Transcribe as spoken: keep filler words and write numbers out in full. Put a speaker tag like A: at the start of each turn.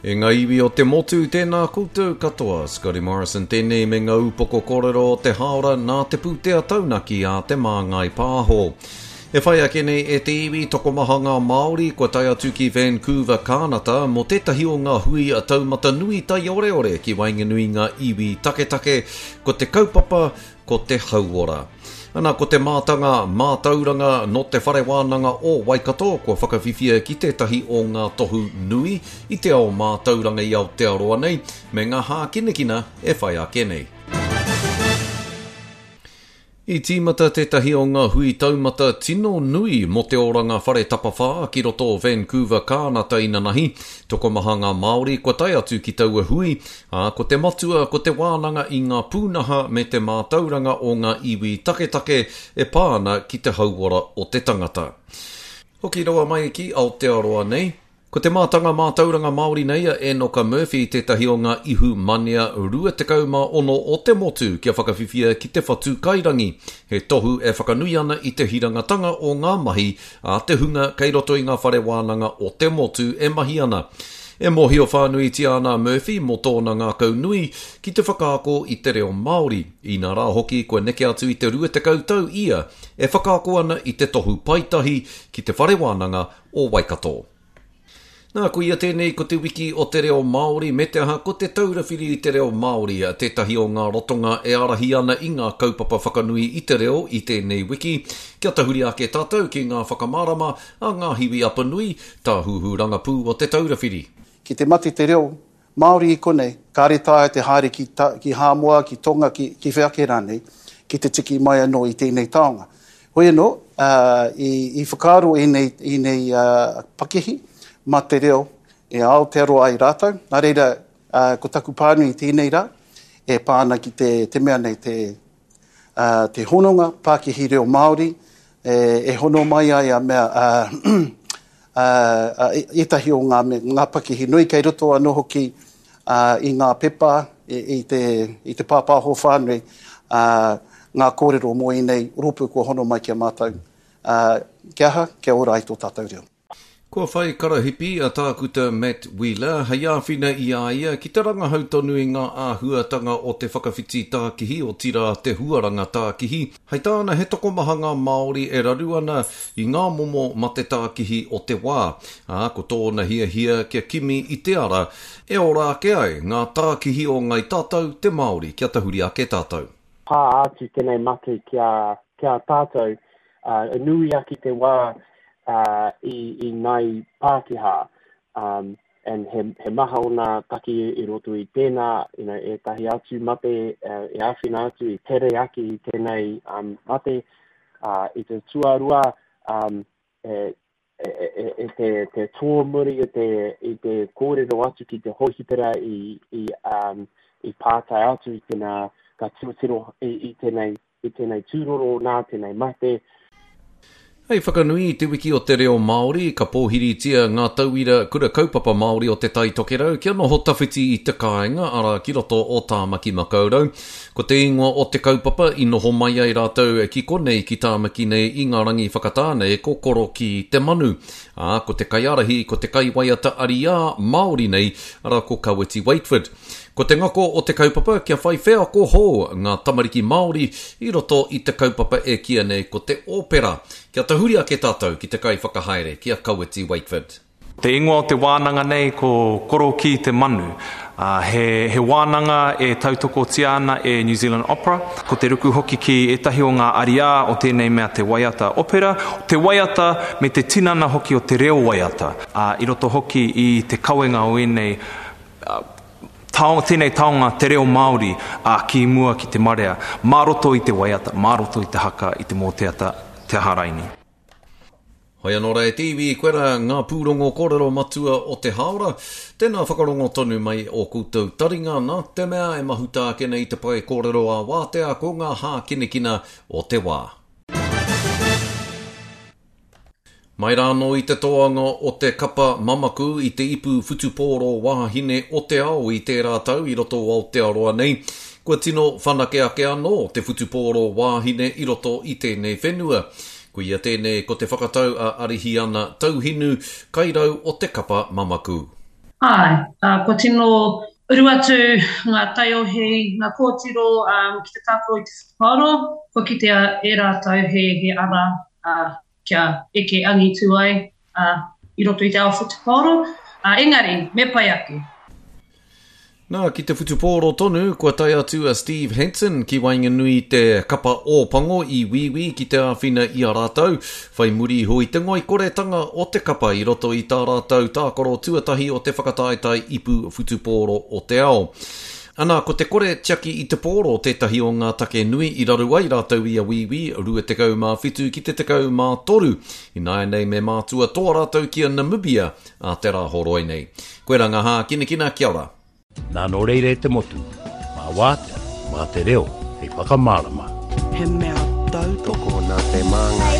A: E ngā iwi o te motu, tēnā koutou katoa. Scotty Morrison tēnei me ngā upoko kōrero o te haora nā te pūtea taunaki a Te Māngai Pāho. E whai ake nei e te iwi tokomaha ngā Māori kua tae atu ki Vancouver, Kānata mō tētahi o ngā hui a taumata nui taioreore ki waenganui ngā iwi taketake, ko te kaupapa, ko te hauora. Ana ko te mātanga mātauranga nō te whare wānanga o Waikato kua whakawhiwhia ki tētahi o ngā tohu nui i te ao mātauranga i Aotearoa nei me ngā hākinakina e whai ake nei. I tīmata tētahi o ngā hui taumata tino nui mō te oranga whare tapawhā ki roto o Vancouver, Kānata inanahi. Tokomaha ngā Māori kua tae atu ki taua hui, ā, ko te matua ko te wānanga i ngā pūnaha me te mātauranga o ngā iwi taketake e pā ana ki te hauora o te tangata. Hoki rawa mai ki Aotearoa nei. Ko te mātanga mātauranga Māori nei a Enoka Murphy tētahi o ngā ihu manea rua tekau mā ono o te motu kia whakawhiwhia ki te whatu kairangi. He tohu e whakanui ana i te hirangatanga o ngā mahi a te hunga kei roto i ngā whare wānanga o te motu e mahi ana. E mōhio whānuitia ana a Murphy mō tōna ngākau nui ki te whakaako i te reo Māori. Inā rā hoki kua neke atu i te rua tekau tau ia e whakaako ana i te tohu paetahi ki te whare wānanga o Waikato. Nā, ko ia tēnei ko te wiki o te reo Māori, me te aha ko te taura whiri i te reo Māori, tētahi o ngā rotonga e ārahi ana i ngā kaupapa whakanui i te reo i tēnei wiki. Kia tahuri ake tātou ki ngā whakamārama a Ngā Hiwi Apanui, tāhuhu rangapū o te taura whiri.
B: Ki te mate te reo Māori i konei, kāre taea te haere ki, ta, ki Hāmoa, ki Tonga, ki, ki whea ake rānei, ki te tiki mai anō i tēnei taonga. Hoi anō, uh, i, i whakaaro ēnei, ēnei uh, pakihi, mā te reo e Aotearoa ai rātou. Nā reira, uh, ko taku pānui i tēnei rā, e pā ana ki te, te mea nei, te, uh, te hononga pakihi reo Māori, e, e hono mai ai a mea, uh, uh, ētahi o ngā, ngā pakihi nui kei roto anō hoki uh, i ngā pepa, i, i, te, i te pāpāho whānui, uh, ngā kōrero mō ēnei rōpū kua hono mai ki a mātou. Uh, kia aha, kia ora ai tō tātou reo.
A: Kua whai karahipi a Tākuta Matt Wheeler hei āwhina i a ia ki te rangahau tonu i ngā āhuatanga o te whakawhiti tākihi o tira te huaranga tākihi. Hei tāna he tokomaha ngā Māori e raru ana i ngā momo mate tākihi o te wā. Ā, ko tōna hiahia kia kimi i te ara e ora ake ai ngā tākihi o ngai tātou te Māori kia tahuri ake tātou.
C: Pā atu tēnei mate ki a, ki a tātou, uh, nui ake te wā uh, i, i ngai Pākehā, um, and he, he maha o ngā take i roto i tēnā, you know, ētahi atu mate uh, e āwhina atu i tere ake i tēnei um, mate. Uh, i te tuarua, um, e, e, e, e te, te tōmuri i te, i te kōrero atu ki te hohipera i, i, um, i pātai atu i tēnā, ka tirotiro i, i tēnei, i tēnei tūroro nā tēnei mate.
A: Hei whakanui i te wiki o te reo Māori, ka pōhiritia ngā tauira kura kaupapa Māori o te Tai Tokerau kia noho tawhiti i te kāinga, arā ki roto o Tāmaki Makaurau. Ko te ingoa o te kaupapa i noho mai ai rātou ki konei ki Tāmaki nei i ngā rangi whakatā nei ko Korokī te Manu. Ā, ko te kaiārahi ko te kaiwaiata ariā Māori nei, arā ko Kawiti Waetford. Ko te ngako o te kaupapa kia whai wheako hou ngā tamariki Māori i roto i te kaupapa e kīia nei ko te opera. Kia tahuri ake tātou ki te kaiwhakahaere ki a Kawiti Waetford.
D: Te ingoa o te wānanga nei ko Korokī te Manu. Uh, he, he wānanga e tautokotia ana e New Zealand Opera. Ko te ruku hoki ki ētahi o ngā ariā o tēnei mea te waiata opera, te waiata me te tinana hoki o te reo waiata. Uh, i roto hoki i te kawenga o ēnei uh, tao, tēnei taonga te reo Māori a ki mua ki te marea, mā roto i te waiata, mā roto i te haka, i te mōteata, te aha raini.
A: Hoi anō rā e te iwi, koirā ngā pūrongo kōrero matua o te haora. Tēnā whakarongo tonu mai o koutou taringa nā te mea e mahuta ake nei te pae kōrero ā wātea ko ngā hākinakina o te wā. Mai rānō i te toanga o te kapa mamaku i te ipu whutupōro wāhine o te ao i tērā tau i roto o Aotearoa nei, kua tino whanake ake anō te whutupōro wāhine i roto i tēnei whenua. Koia tēnei ko te whakatau a Arihiana Tauhinu, kairau o te kapa mamaku.
E: Āe, uh, kua tino uru atu ngā taiohi, ngā kōtiro um, ki te tākaro i te whutupaoro, kua kitea e rātou he, he ara uh, kia eke angitu ai uh, i roto i te ao whutupaoro. Uh, engari, me pai ake.
A: Nā, ki te whutupōro tonu, kua tae atu a Steve Hansen ki waenganui i te kapa Ōpango i Wīwī ki te āwhina i a rātou, whai muri iho i te ngoikoretanga o te kapa i roto i tā rātou tākaro tuatahi o te whakataetae ipu whutupōro o te ao. Ana, ko te kore tiaki i te pōro tētahi o ngā take nui i raru ai rātou i a Wīwī rua tekau mā whitu ki te tekau mā toru. Ināianei me mātua toa rātou ki a Namibia a te Rāhoroi nei. Koirā ngā hākinakina, kia ora.
F: Nā nō reira e te motu, mā wātea, mā te reo, hei whakamārama.
G: He mea tautoko
H: nā te māngai.